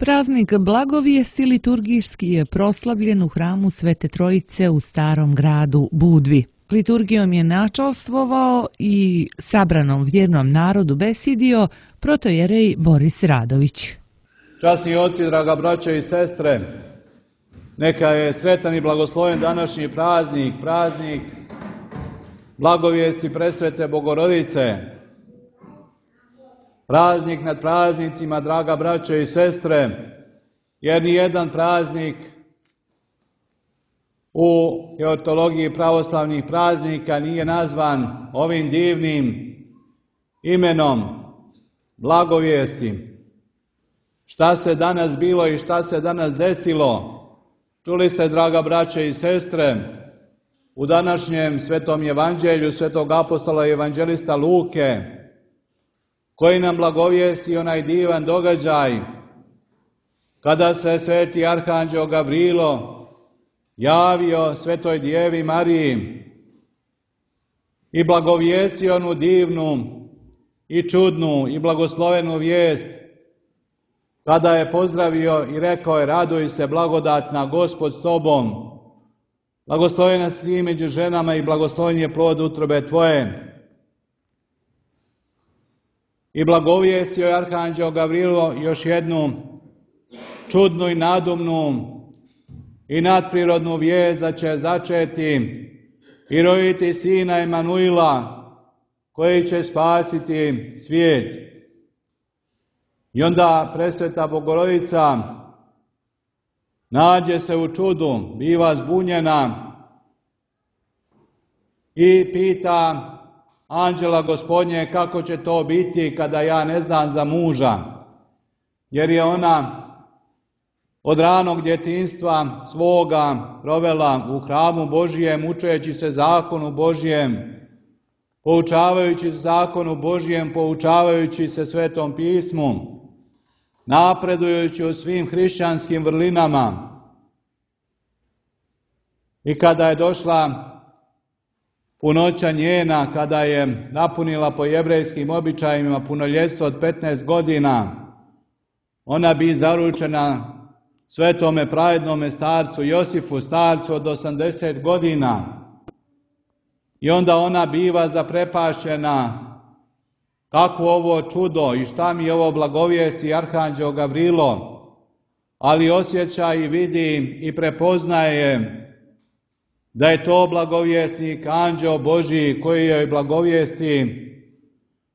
Praznik Blagovijesti liturgijski je proslavljen u hramu Svete Trojice u Starom gradu Budvi. Liturgijom je načalstvovao i sabranom vjernom narodu besidio protojerej Boris Radović. Časni oci, draga braćo i sestre, neka je sretan i blagosloven današnji praznik, praznik Blagovijesti Presvete Bogorodice. Praznik nad praznicima, draga braćo i sestre, jer nijedan praznik u teologiji pravoslavnih praznika nije nazvan ovim divnim imenom Blagovijesti. Šta se danas bilo i šta se danas desilo, čuli ste, draga braćo i sestre, u današnjem Svetom Evanđelju Svetog apostola i evanđelista Luke, koji nam blagovijesti onaj divan događaj kada se sveti arhanđeo Gavrilo javio Svetoj Djevi Mariji i blagovijestio onu divnu i čudnu i blagoslovenu vijest, kada je pozdravio i rekao je: raduj se blagodatna, Gospod s tobom, blagoslovena si ti među ženama i blagosloven je plod utrobe tvoje. I blagovijestio je arhanđeo Gavrilo još jednu čudnu i nadumnu i nadprirodnu vijest da će začeti i roditi sina Emanuila, koji će spasiti svijet. I onda presveta Bogorodica nađe se u čudu, biva zbunjena i pita anđela Gospodnje kako će to biti kada ja ne znam za muža, jer je ona od ranog djetinjstva svoga provela u hramu Božijem, učeći se zakonu Božijem, poučavajući se zakonu Božijem, poučavajući se Svetom pismu, napredujući u svim hrišćanskim vrlinama. I kada je došla punoća njena, kada je napunila po jevrejskim običajima punoljetstvo od 15 godina, ona bi zaručena svetome pravednome starcu Josifu, starcu od 80 godina. I onda ona biva zaprepašćena: kakvo ovo čudo i šta mi ovo blagovijesti arhanđeo Gavrilo, ali osjeća i vidi i prepoznaje da je to blagovjesnik, anđeo Božji, koji joj blagovijesti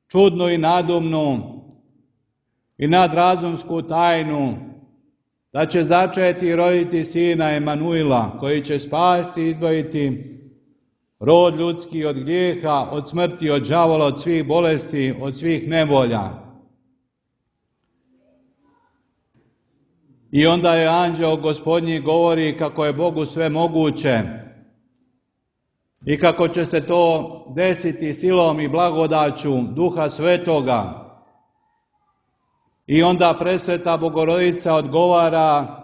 čudnu i nadumnu i nadrazumsku tajnu da će začeti i roditi sina Emanuila, koji će spasti i izbaviti rod ljudski od grijeha, od smrti, od đavola, od svih bolesti, od svih nevolja. I onda je anđeo Gospodnji govori kako je Bogu sve moguće i kako će se to desiti silom i blagodaću Duha Svetoga. I onda presveta Bogorodica odgovara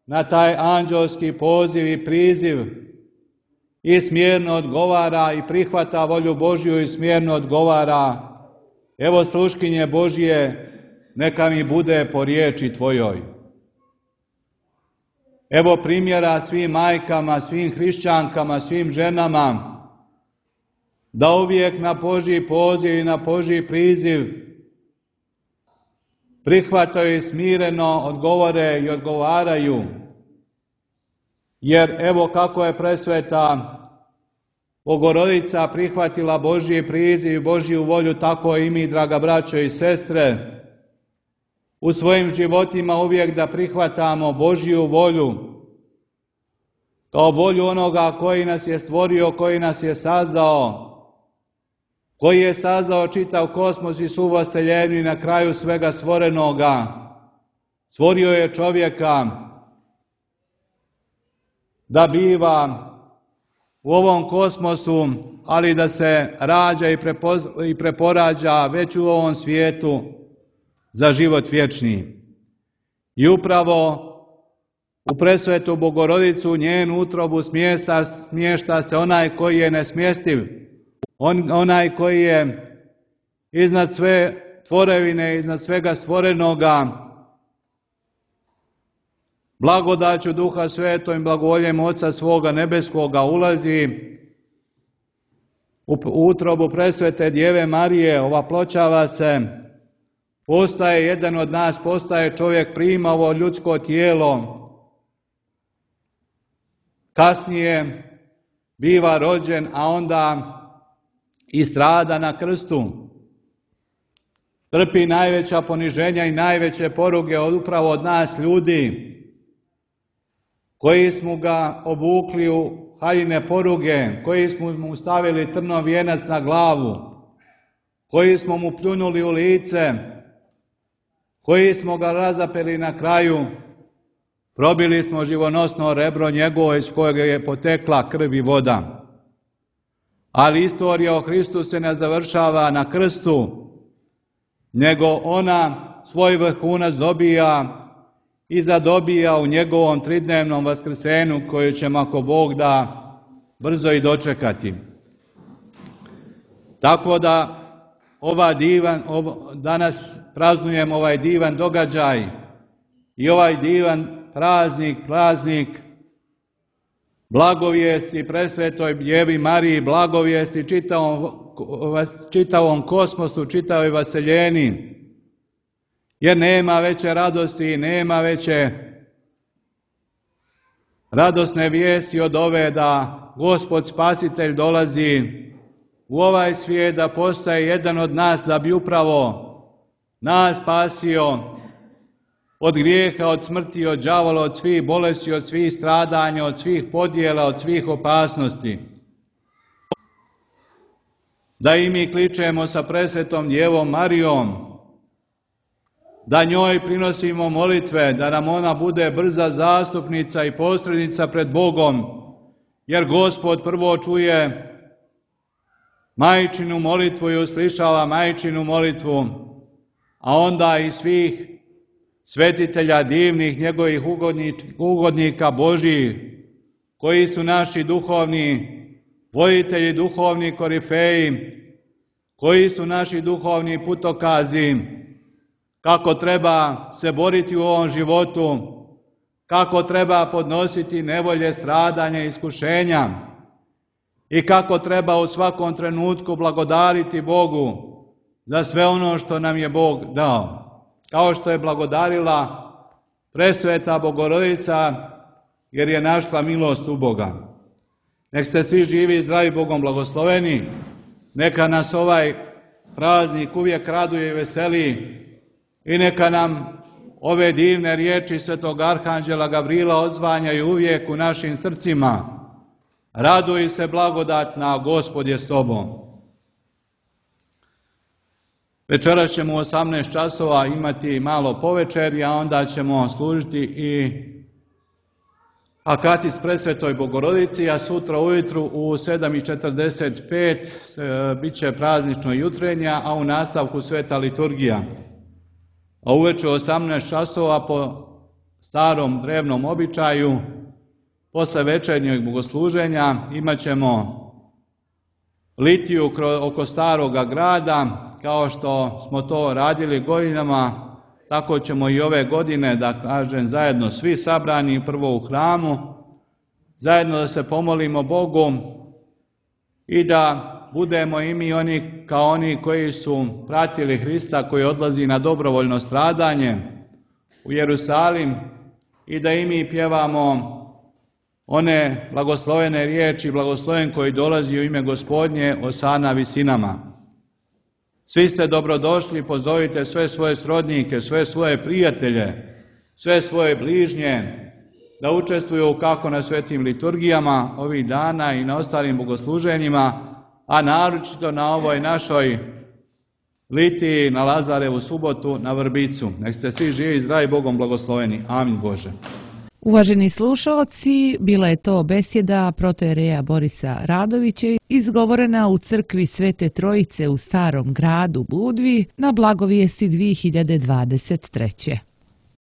na taj anđelski poziv i priziv i smjerno odgovara i prihvata volju Božju i smjerno odgovara: evo sluškinje Božje, neka mi bude po riječi tvojoj. Evo primjera svim majkama, svim hrišćankama, svim ženama, da uvijek na Božji poziv i na Božji priziv prihvataju i smireno odgovore i odgovaraju. Jer evo kako je presveta Bogorodica prihvatila Božji priziv i Božju volju, tako i mi, draga braćo i sestre, u svojim životima uvijek da prihvatamo Božju volju, kao volju onoga koji nas je stvorio, koji nas je sazdao, koji je sazdao čitav kosmos i svu vaseljenju i na kraju svega stvorenoga stvorio je čovjeka da biva u ovom kosmosu, ali da se rađa i preporađa već u ovom svijetu za život vječni. I upravo u presvetu Bogorodicu, njenu utrobu smješta se onaj koji je nesmjestiv, onaj koji je iznad sve tvorevine, iznad svega stvorenoga, blagodaću Duha Svetom i blagovoljem Oca svoga nebeskoga ulazi u utrobu presvete Djeve Marije, ovaploćava se, postaje jedan od nas, postaje čovjek, prima ovo ljudsko tijelo, kasnije biva rođen, a onda i strada na krstu. Trpi najveća poniženja i najveće poruge upravo od nas ljudi, koji smo ga obukli u haljine poruge, koji smo mu stavili trnov vijenac na glavu, koji smo mu pljunuli u lice, koji smo ga razapeli na kraju, probili smo živonosno rebro njegovo iz kojeg je potekla krv i voda. Ali istorija o Hristu se ne završava na krstu, nego ona svoj vrhunac dobija i zadobija u njegovom tridnevnom vaskrsenju koje ćemo, ako Bog da, brzo i dočekati. Tako da danas praznujemo ovaj divan događaj i ovaj divan praznik blagovijesti presvetoj Djevi Mariji, blagovijesti čitavom kosmosu, čitavoj vaseljeni, jer nema veće radosti, nema veće radosne vijesti od ove da Gospod Spasitelj dolazi u ovaj svijet, da postaje jedan od nas, da bi upravo nas spasio od grijeha, od smrti, od đavola, od svih bolesti, od svih stradanja, od svih podjela, od svih opasnosti. Da i mi kličemo sa presvetom Djevom Marijom, da njoj prinosimo molitve, da nam ona bude brza zastupnica i posrednica pred Bogom, jer Gospod prvo čuje majčinu molitvu i uslišava majčinu molitvu, a onda i svih svetitelja divnih, njegovih ugodnika Božjih, koji su naši duhovni voditelji, duhovni korifeji, koji su naši duhovni putokazi, kako treba se boriti u ovom životu, kako treba podnositi nevolje, stradanja, iskušenja i kako treba u svakom trenutku blagodariti Bogu za sve ono što nam je Bog dao. Kao što je blagodarila presveta Bogorodica, jer je našla milost u Boga. Nek ste svi živi i zdravi, Bogom blagosloveni, neka nas ovaj praznik uvijek raduje i veseli i neka nam ove divne riječi svetog arhanđela Gavrila odzvanjaju uvijek u našim srcima. Raduj se blagodatna, Gospod je s tobom. Večeras ćemo u 18 časova imati malo povečerje, a onda ćemo služiti i akatis presvetoj Bogorodici, a sutra ujutru u 7:45 bit će praznično jutrenja, a u nastavku sveta liturgija. A uveče u 18 časova po starom drevnom običaju, posle večernjeg bogosluženja, imat ćemo litiju oko staroga grada, kao što smo to radili godinama, tako ćemo i ove godine, da kažem, zajedno svi sabrani prvo u hramu, zajedno da se pomolimo Bogu i da budemo i mi oni kao oni koji su pratili Hrista, koji odlazi na dobrovoljno stradanje u Jerusalim, i da i mi pjevamo one blagoslovene riječi, blagosloven koji dolazi u ime Gospodnje, osana visinama. Svi ste dobrodošli, pozovite sve svoje srodnike, sve svoje prijatelje, sve svoje bližnje, da učestvuju kako na svetim liturgijama ovih dana i na ostalim bogosluženjima, a naročito na ovoj našoj litiji na Lazarevu subotu na Vrbicu. Nek ste svi živi i zdravi, Bogom blagosloveni. Amin Bože. Uvaženi slušaoci, bila je to besjeda protojereja Borisa Radovića izgovorena u crkvi Svete Trojice u Starom gradu Budvi na blagovijesti 2023.